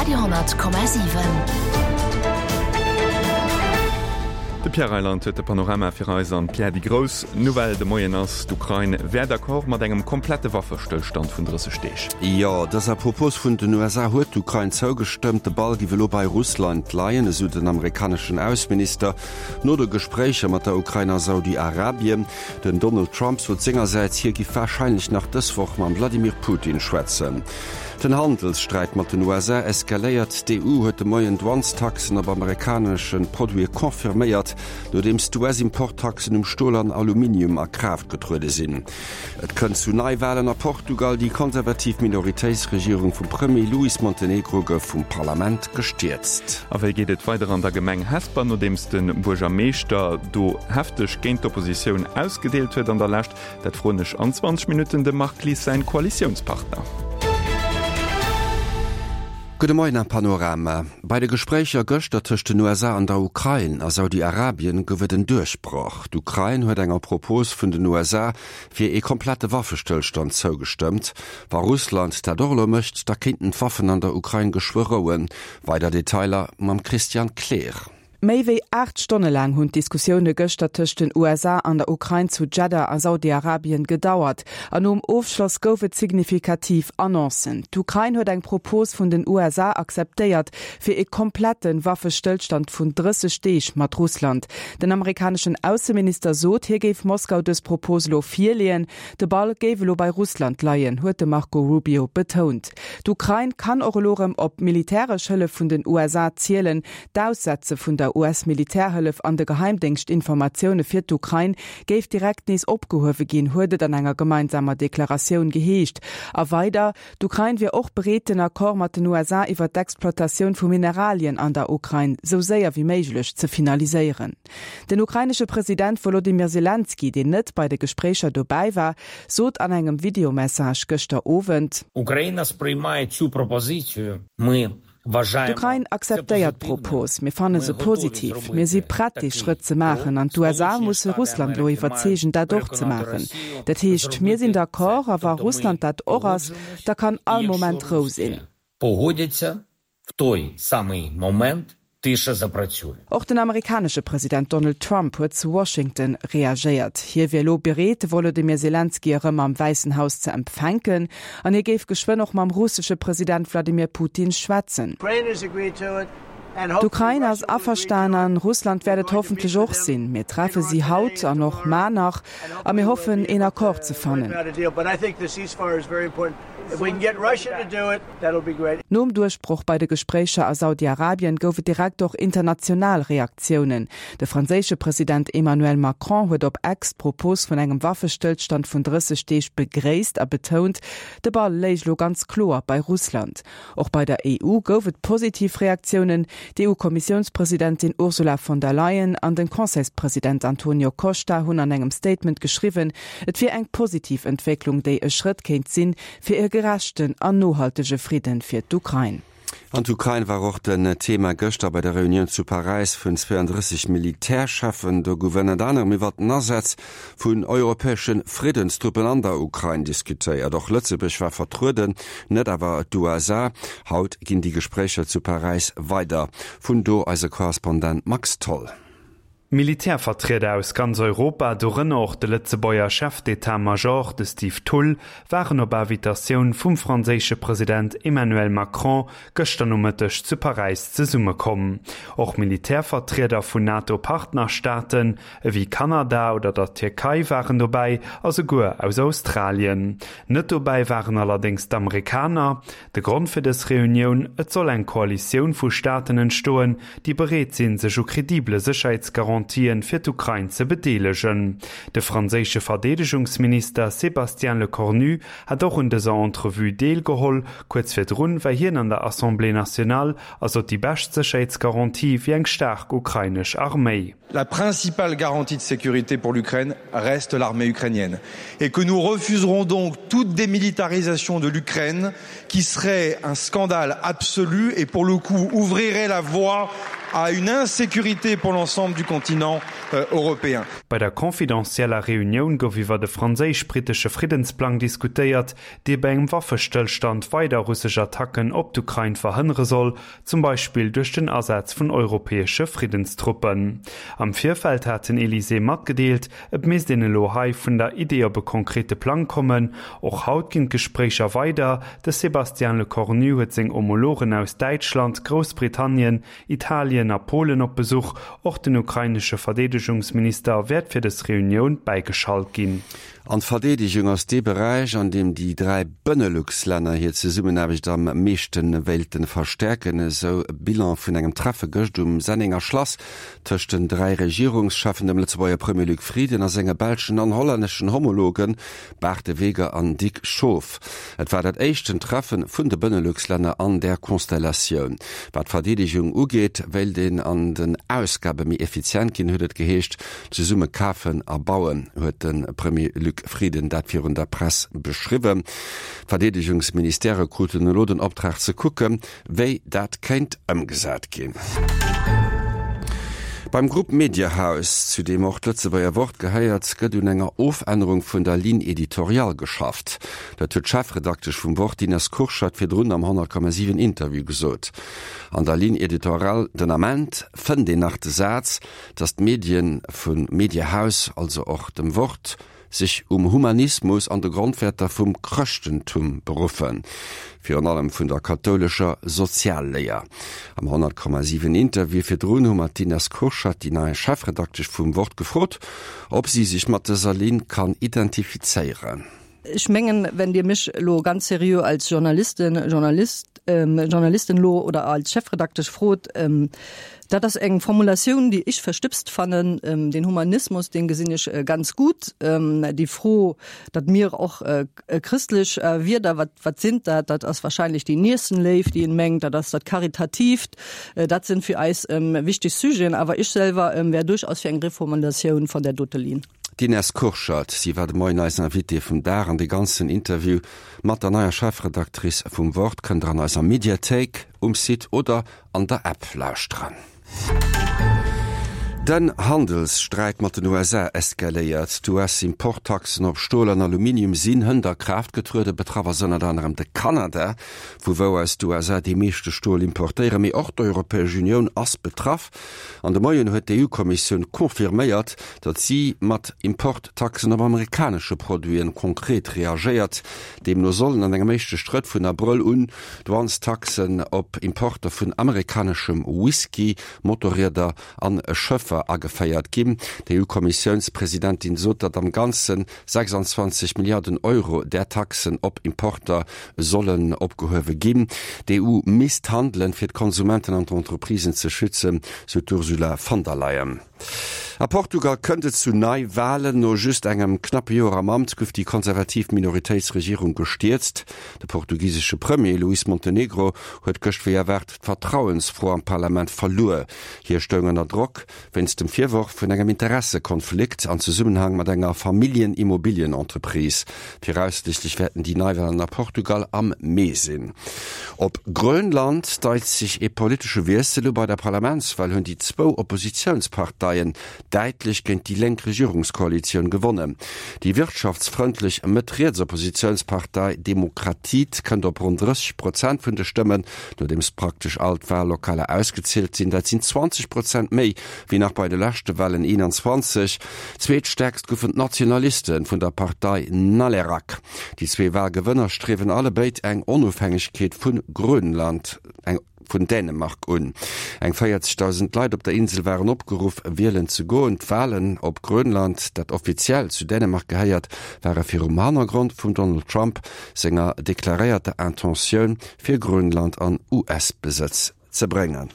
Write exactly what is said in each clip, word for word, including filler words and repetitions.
Radio honnert Komma siwen. De Pierre Reyland huet de Panorama fir eis an. Pierre, déi grouss Nouvelle de Moien ass, d'Ukrain wär d'accord mat engem komplette Waffestëllstand vun drësseg Deeg. Jo, dëser Propos vun den U S A huet d'Ukrain zougestëmmt. De Ball giff elo bei Russland leien, esou den amerikaneschen Ausseminister no de Gespréicher mat der Ukrain a Saudi-Arabien. Den Donald Trump sot sengersäits, hie giff warscheinlech nach dës Woch mam Wladimir Putin schwätzen. Den Handelssträit mat den U S A eskaléiert. D'E U huet de Moien Douanestaxen op amerikanesche Produite confirméiert, nodeems d'U S-Importtaxen um Stol an Aluminium a Kraaft getruede sinn. Et kënnt zu Neiwalen a Portugal. Déi konservativ Minoritéitsregierung vum Premier Luís Montenegro gouf vum Parlament gestierzt. A wéi geet et weider an der Gemeng Hesper, nodeems de Buergermeeschter do hefteg géint d'Oppositioun ausgedeelt huet an der Lescht? Dat froen ech an zwanzeg Minutten dem Marc Lies säin Koalitiounspartner. Gudde Moien am Panorama. Bei de Gespréicher gëschter tëscht den U S A an der Ukrain a Saudi-Arabien gouf et en Duerchbroch. D'Ukrain huet enger Propos vun den U S A fir ee komplette Waffestëllstand zougestëmmt. Wa Russland dat och elo mécht, da kéinten d'Waffen an der Ukrain geschwë rouen. Weider Detailer mam Christian Kleer. Méi wéi aacht Stonne laang hunn d'Diskussioune gëschter tëscht den U S A an der Ukrain zu Jeddah a Saudi-Arabien gedauert. An nom Ofschloss gouf et signifikativ Annoncen. D'Ukrain huet eng Propos vun den U S A akzeptéiert fir e komplette Waffestëllstand vun drësseg Deeg mat Russland. Den amerikaneschen Ausseminister sot, hie géif Moskau dës Propos elo virleeën. De Ball géif elo bei Russland leien, huet de Marco Rubio betount. D'Ukrain kann och elo rëm op militäresch Hëllef vun den U S A zielen. D'Aussetze vun der U S-Militärhëllef an de Geheimdéngschtinformatioune fir d'Ukrain géif direkt nees opgehuewe ginn, huet et an enger gemeinsamer Deklaratioun geheescht. A weider, d'Ukrain wier och bereet, den Accord mat den U S A iwwer d'Exploitatioun vu Mineralien an der Ukrain sou séier wéi méiglech ze finaliséieren. Den ukrainesche President Wolodymyr Selenskyj, deen net bei de Gespréicher dobäi war, sot an engem Videomessage gëschter Owend: Україна сприймає цю пропозицію. Ми D'Ukrain akzeptéiert d'Propos, mir fanne se positiv, mir si prett dee Schrëtt ze maachen an d'U S A musse Russland elo iwwerzeegen dat och ze maachen. Dat heescht, mir sinn d'accord a wa Russland dat och ass, da kann all Moment Rou sinn. В той самий момент тиша запрацює. Och den amerikanesche President Donald Trump huet zu Washington reagéiert. Hie wier elo bereet, de Wolodymyr Selenskyj erëm am Wäissen Haus ze empfänken an hie géif geschwënn och mam russesche President Wladimir Putin schwätzen. D'Ukrain ass averstan an Russland wäert et hoffentlech och sinn. Mir treffe si haut an och mar nach a mir hoffen een Accord ze fannen. Nom Duerchbroch bei de Gespréicher a Saudi-Arabien gouf et direkt och international Reaktiounen. De franséische President Emmanuel Macron huet op X d'Propos vun engem Waffestëllstand vun drësseg Deeg begréisst a betount, de Ball léich lo ganz kloer bei Russland. Och bei der E U gouf et positiv Reaktiounen. D'E U-Kommissiounspresidentin Ursula von der Leyen an den Conseilspresident Antonio Costa hunn an engem Statement geschriwwen, et wier eng positiv Entwécklung, déi e Schrëtt kéint sinn fir e gerechten an nohaltege Fridden fir d'Ukrain. An d'Ukrain war och den Thema gëschter bei der Reunioun zu Paräis vun zweeëndrësseg Militärcheffen. Do gouf ënnert anerem iwwer den Asaz vun europäesche Friddenstruppen an der Ukrain diskutéiert. Och Lëtzebuerg war vertrueden, net awer d'U S A. Haut ginn déi Gespréicher zu Paräis weider. Vun do eise Korrespondent Max Tholl. Militärvertrieder aus ganz Europa, dorënner och de Lëtzebuerger Chef d'état-major, de Steve Thull, waren op Invitatioun vum franséische President Emmanuel Macron gëschter Nomëtteg zu Paräis zesummekomm. Och Militärvertrieder vun NATO-Partnerstaaten ewéi Kanada oder der Tierkei waren dobäi, a souguer aus Australien. Net dobäi waren allerdéngs d'Amerikaner. De Grond fir dës Reunioun, et soll eng Koalitioun vu Staaten entstoen, déi bereet sinn, sech u kredibele Sécherheetsgarantien fir d'Ukrain ze bedeelegen. De franséische Verdeedegungsminister Sébastien Lecornu hat och un dëser Entrevue deelgeholl, kuerz virdrun war hien an der Assemblée nationale a sot, déi bescht Sécherheetsgarantie wier eng staark ukrainesch Arméi. La principale garantie de sécurité pour l'Ukraine reste l'armée ukrainienne et que nous refuserons donc toute démilitarisation de l'Ukraine qui serait un scandale absolu et pour le coup ouvrirait la voie à une insécurité pour l'ensemble du continent euh, européen. Bei der confidentieller Reunioun gouf iwwer de franséisch-brittesche Friddensplang diskutéiert, dee bei engem Waffestëllstand weider russesch Attacken op d'Ukrain verhënnere soll, zum Beispill duerch den Asaz vun europäesche Friddenstruppen. Am Virfeld hat den Elysée matgedeelt, et misst een elo hei vun der Idee op e konkrete Plang kommen. Och haut ginn d'Gespréicher weider, de Sébastien Lecornu huet seng Homologen aus Däitschland, Groussbritannien, Italien a Polen op Besuch. Och den ukrainesche Verdeedegungsminister wäert fir dës Reunioun bäigeschalt ginn. An d'Verdeedegung ass dee Beräich, an deem déi dräi Benelux-Länner hir Zesummenaarbecht am meeschte wéilte verstäerken, esou e Bilan vun engem Treffe gëscht um Sennenger Schlass tëscht den dräi Regierungscheffen, dem Lëtzebuerger Premier Luc Frieden a senge belschen an hollänneschen Homologen Bart De Weger an Dick Schoof. Et war dat éischten Treffe vun de Benelux-Länner an där Konstellatioun. Wat d'Verdeedegung ugeet, wéilt een an den Ausgabe méi effizient ginn, huet et geheescht. Zesumme kafen a bauen, huet de Premier Luc Frieden dat virun der Press beschriwwen. D'Verdeedegungsministèrë kruten elo den Optrag ze kucken, wéi dat kéint ëmgesat ginn. Beim Grupp Mediahaus, zu deem och d'Lëtzebuerger Wort gehéiert, gëtt un enger Ofännerung vun der Ligne éditoriale geschafft. Dat huet d'Chefredaktesch vum Wort, d'Ines Kurschat, virdrun am honnert Komma siwen Interview gesot. An der Ligne éditoriale den Ament fënnt een nach de Saz, datt d'Medien vum Mediahaus, also och dem Wort, sech um Humanismus an de Grondwäerter vum Chrëschtentum beruffen, virun allem vun der kathoulescher Sozialléier. Am honnert Komma siwen Interview virdrun hu mer d'Ines Kurschat, déi nei Chefredaktesch vum Wort, gefrot, ob si sech mat dëser Linn kann identifizéieren. Ech mengen, wenn Dir mech elo ganz seriö als Journalistin, Journalist, Journalistin elo oder als Chefredaktesch frot, dat ass eng Formulatioun, déi ech verstipst fannen. Den Humanismus, deen gesinn ech ganz gutt. Déi Fro, datt mir och christlech Wierder, wat, wat sinn dat? Dat ass wahrscheinlech déi Nächstenléift, déi een mengt, dat ass dat Karitatiivt. Dat sinn fir eis wichteg Sujeten. Awer ech selwer wär duerchaus fir eng Reformulatioun vun där dote Linn. D'Ines Kurschat, si war de Moien eis Invitée vum Dag an de ganzen Interview mat der neier Chefredactrice vum Wort kënnt der an eiser Mediathéik um Site oder an der App lauschteren. Den Handelssträit mat den U S A eskaléiert. D' U S-Importtaxen op Stol an Aluminium sinn hënt a Kraaft getrueden. Betraff ass ënnert anerem de Kanada, vu wou aus d'U S A dee meeschte Stol importéieren. Mee och d'Europäesch Unioun ass betraff. An de Moien huet d'E U-Kommissioun confirméiert, datt si mat Importtaxen op amerikanesche Produiten konkret reagéiert. Deemno sollen an engem éischte Schrëtt vun Abrëll un Douanestaxen op Importer vun amerikaneschem Whisky, Motorrieder an Schëffer ageféiert ginn. D' E U-Kommissiounspresidentin sot, datt am Ganze sechsundzwanzeg Milliarden Euro där Taxen op Importer sollen opgehuewe ginn. D' E U misst handelen, fir d'Konsumenten an d'Entreprisen ze schützen, sou d'Ursula von der Leyen. A Portugal kënnt et zu Neiwalen. No just engem knappe Joer am Amt gouf déi konservativ Minoritéitsregierung gestierzt. De portugisesche Premier Luís Montenegro huet gëscht wéi erwaart d'Vertrauensfro am Parlament verluer. Hie stoung ënner Drock wéinst dem Virworf vun engem Interessekonflikt an Zesummenhang mat enger Familljenimmobilienentreprise. Viraussiichtlech wäerten déi Neiwalen a Portugal am Mee sinn. Op Grönland deit sech ee politesche Wiessel u. Bei der Parlamentswal hunn déi zwou Oppositiounsparteien däitlech géint déi lénk Regierungskoalitioun gewonnen. Déi wirtschaftsfrëndlech Mëtt-Riets-Oppositiounspartei Demokratiet kënnt op ronn drësseg Prozent vun de Stëmmen, nodeems praktesch all d'Wallokaler ausgezielt sinn. Dat sinn zwanzeg Prozent méi wéi nach bei de leschte Walen eenanzwanzeg. Zweetstäerkst goufen d'Nationaliste vun der Partei Naleraq. Déi zwee Walgewënner striewen allebéid eng Onofhängegkeet vu Grönland, eng vun Dänemark un. Eng véierzegdausend Leit op der Insel waren opgeruff, wielen ze goen. D'Walen op Grönland, dat offiziell zu Dänemark gehéiert, ware virum Hannergrond vum Donald Trump senger deklaréierter Intentioun, fir Grönland an U S-Besëtz ze bréngen.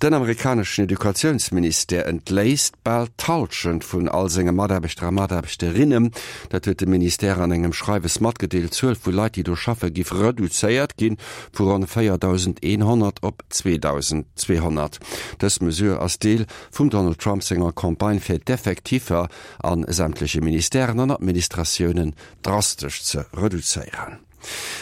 Den amerikaneschen Educatiounsministère entléisst bal d'Hallschent vun all senge Mataarbechter a Mataarbechterinnen. Dat huet de Ministère an engem Schreiwes matgedeelt. D'Zuel vu Leit, déi do schaffe, géif reduzéiert ginn vu ronn véierdausendeenhonnert op zweedausendzweehonnert. Dës Mesure ass Deel vum Donald Trump senger Campagne fir d'Effektiver a sämtleche Ministèren an Administratiounen drastesch ze reduzéieren.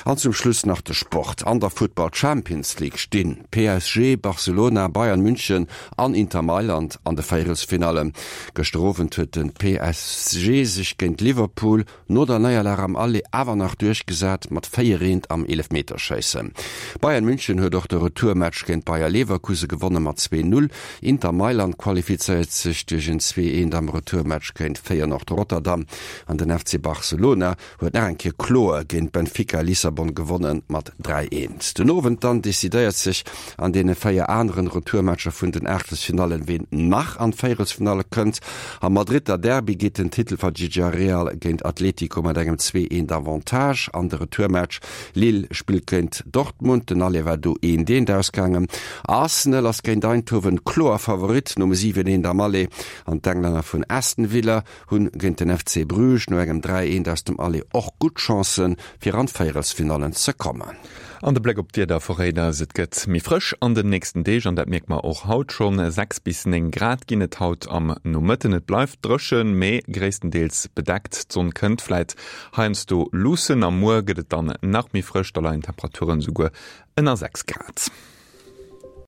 An zum Schluss nach de Sport. An der Futtball Champions League stinn PSG, Barcelona, Bayern München an Inter Mailand an de Véierelsfinallen. Gëschter Owend huet de PSG sech géint Liverpool no der Néierlag am Aller awer nach duerchgesat mat véier eent am Eelefmeterschéissen. Bayern München huet och de Retourmatch géint Bayer Leverkusen gewonne mat zwee Null. Inter Mailand qualifizéiert sech duerch en zwee eent am Retourmatch géint Feyenoord Rotterdam an den F C Barcelona huet nach eng Kéier kloer géint Benfica Lissabon gewonnen mat dräi eent. Den Owend dann decidéiert sech an deene véier aneren Retourmatcher vun den Aachtelsfinallen, ween nach an d'Véierelsfinalle kënnt. Am Madridder Derby geet den Titelverdeedeger Real géint Atletico mat engem zwee eent Avantage an de Retourmatch. Lille spillt géint Dortmund, den Aller war do eent eent ausgaangen. Arsenal ass géint Eindhoven kloer Favorit nom siwen eent am Aller an d'Englänner vun Aston Villa hunn géint den F C Bruges no engem dräi eent aus dem Aller och gutt Chancen, fir an d'Véierelsfinallen ze kommen. An de Bléck op d'Wieder verréit eis, Et gëtt méi frësch an den nächsten Deeg an dat mierke mer och haut schonn. Sechs bis néng Grad ginn et haut am Nomëtten. Et bleift dréchen, mee gréisstendeels bedeckt. D'Sonn kënnt vläit heiansdo luussen a muer gëtt et dann nach méi frësch, da leien d'Temperaturen esouguer ënner sechs Grad.